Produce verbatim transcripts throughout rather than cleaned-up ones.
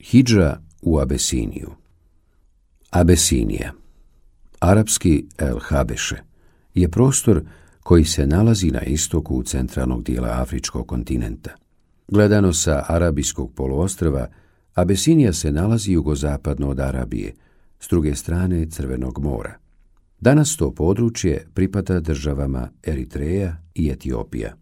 Hidža u Abesiniju. Abesinija, arapski El Habeše, je prostor koji se nalazi na istoku centralnog dijela afričkog kontinenta. Gledano sa arabijskog poluostrva, Abesinija se nalazi jugozapadno od Arabije, s druge strane Crvenog mora. Danas to područje pripada državama Eritreja i Etiopija.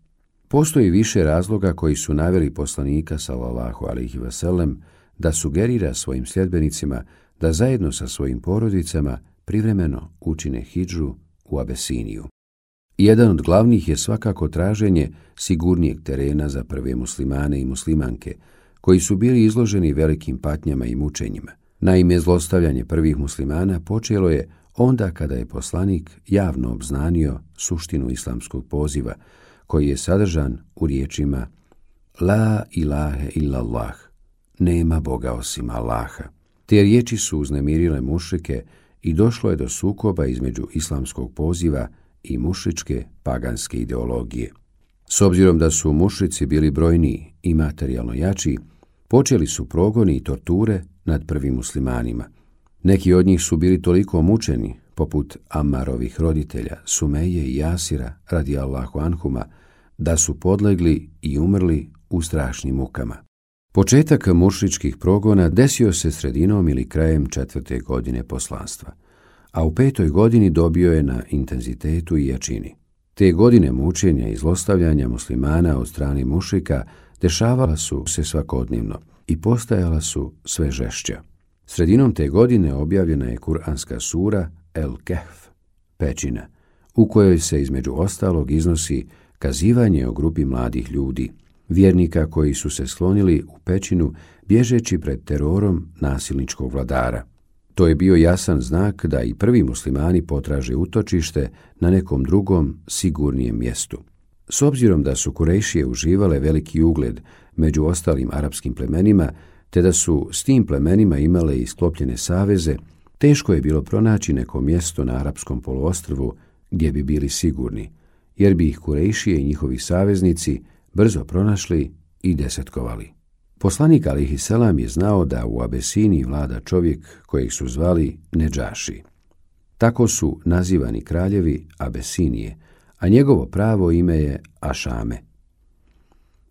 Postoji više razloga koji su naveli poslanika sallallahu alejhi ve sellem da sugerira svojim sljedbenicima da zajedno sa svojim porodicama privremeno učine hidžu u Abesiniju. Jedan od glavnih je svakako traženje sigurnijeg terena za prve muslimane i muslimanke, koji su bili izloženi velikim patnjama i mučenjima. Naime, zlostavljanje prvih muslimana počelo je onda kada je poslanik javno obznanio suštinu islamskog poziva, koji je sadržan u riječima La ilahe illallah, nema Boga osim Allaha. Te riječi su uznemirile mušrike i došlo je do sukoba između islamskog poziva i mušričke paganske ideologije. S obzirom da su mušrici bili brojniji i materijalno jači, počeli su progoni i torture nad prvim muslimanima. Neki od njih su bili toliko mučeni, poput Ammarovih roditelja, Sumeje i Jasira radijallahu anhuma, da su podlegli i umrli u strašnim mukama. Početak mušričkih progona desio se sredinom ili krajem četvrte godine poslanstva, a u petoj godini dobio je na intenzitetu i jačini. Te godine mučenja i zlostavljanja muslimana od strane mušrika dešavala su se svakodnevno i postajala su sve žešća. Sredinom te godine objavljena je kuranska sura El Kehf, pećina, u kojoj se između ostalog iznosi kazivanje o grupi mladih ljudi, vjernika koji su se sklonili u pećinu bježeći pred terorom nasilničkog vladara. To je bio jasan znak da i prvi muslimani potraže utočište na nekom drugom, sigurnijem mjestu. S obzirom da su Kurejšije uživale veliki ugled među ostalim arapskim plemenima, te da su s tim plemenima imale i sklopljene saveze, teško je bilo pronaći neko mjesto na arapskom poluostrvu gdje bi bili sigurni, jer bi ih Kurejšije i njihovi saveznici brzo pronašli i desetkovali. Poslanik alejhi selam je znao da u Abesiniji vlada čovjek kojeg su zvali Nedžaši. Tako su nazivani kraljevi Abesinije, a njegovo pravo ime je Ašame.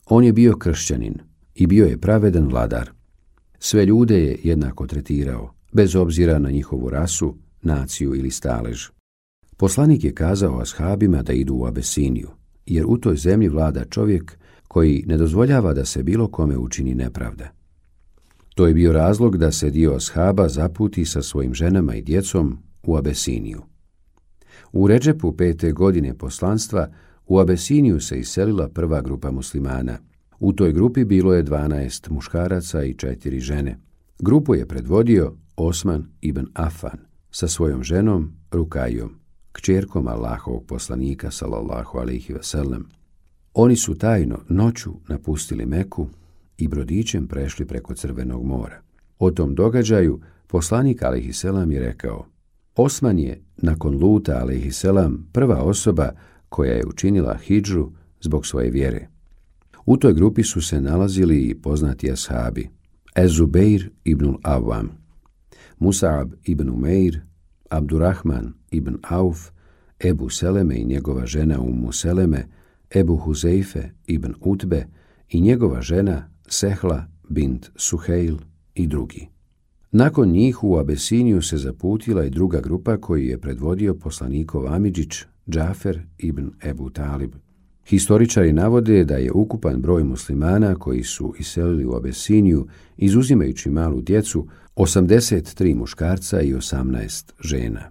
On je bio kršćanin i bio je pravedan vladar. Sve ljude je jednako tretirao, bez obzira na njihovu rasu, naciju ili stalež. Poslanik je kazao ashabima da idu u Abesiniju, jer u toj zemlji vlada čovjek koji ne dozvoljava da se bilo kome učini nepravda. To je bio razlog da se dio ashaba zaputi sa svojim ženama i djecom u Abesiniju. U Redžepu pete godine poslanstva u Abesiniju se iselila prva grupa muslimana. U toj grupi bilo je dvanaest muškaraca i četiri žene. Grupu je predvodio Osman ibn Afan sa svojom ženom Rukajom, kćerkom Allahovog poslanika sallallahu alejhi ve sellem. Oni su tajno noću napustili Meku i brodićem prešli preko Crvenog mora. O tom događaju poslanik alejhi selam je rekao: Osman je nakon Luta alejhi selam prva osoba koja je učinila hidžu zbog svoje vjere. U toj grupi su se nalazili i poznati ashabi Ez-Zubeir ibn Awam, Mus'ab ibn Umeir, Abdurrahman ibn Auf, Ebu Seleme i njegova žena Ummu Seleme, Ebu Huzeife ibn Utbe i njegova žena Sehla bint Suhejl i drugi. Nakon njih u Abesiniju se zaputila i druga grupa koju je predvodio poslanikov amidžić Džafer ibn Ebu Talib. Historičari navode da je ukupan broj muslimana koji su iselili u Abesiniju, izuzimajući malu djecu, osamdeset tri muškarca i osamnaest žena.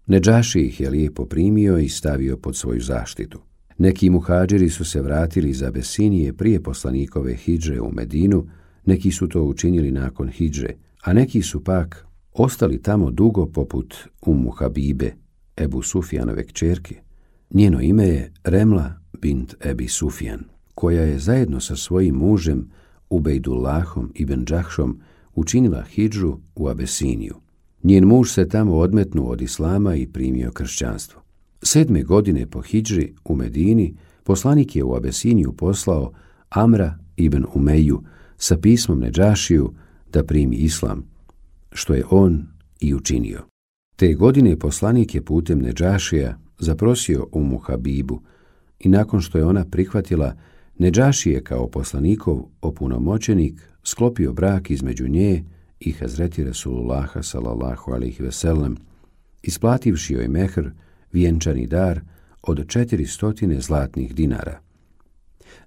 Nedžaši ih je lijepo primio i stavio pod svoju zaštitu. Neki muhadžiri su se vratili iz Abesinije prije poslanikove hidže u Medinu, neki su to učinili nakon hidže, a neki su pak ostali tamo dugo poput Ummu Habibe, Ebu Sufjanove kćerke. Njeno ime je Remla bint Ebi Sufjan, koja je zajedno sa svojim mužem Ubejdullahom ibn Džahšom učinila hidžu u Abesiniju. Njen muž se tamo odmetnuo od islama i primio kršćanstvo. Sedme godine po hidži u Medini poslanik je u Abesiniju poslao Amra ibn Umeju sa pismom Nedžašiju da primi islam, što je on i učinio. Te godine poslanik je putem Nedžašija zaprosio Umu Habibu i nakon što je ona prihvatila, Nedžašije kao poslanikov opunomoćenik sklopio brak između nje i Hazreti Resulullaha sallallahu alejhi ve sellem, isplativši joj mehr, vjenčani dar od četiristo zlatnih dinara.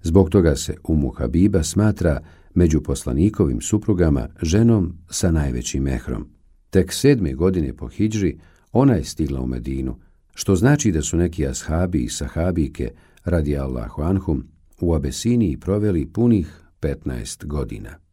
Zbog toga se Umu Habiba smatra među poslanikovim suprugama ženom sa najvećim mehrom. Tek sedme godine po hidžri ona je stigla u Medinu, što znači da su neki ashabi i sahabike radijallahu anhum u Abesiniji proveli punih petnaest godina.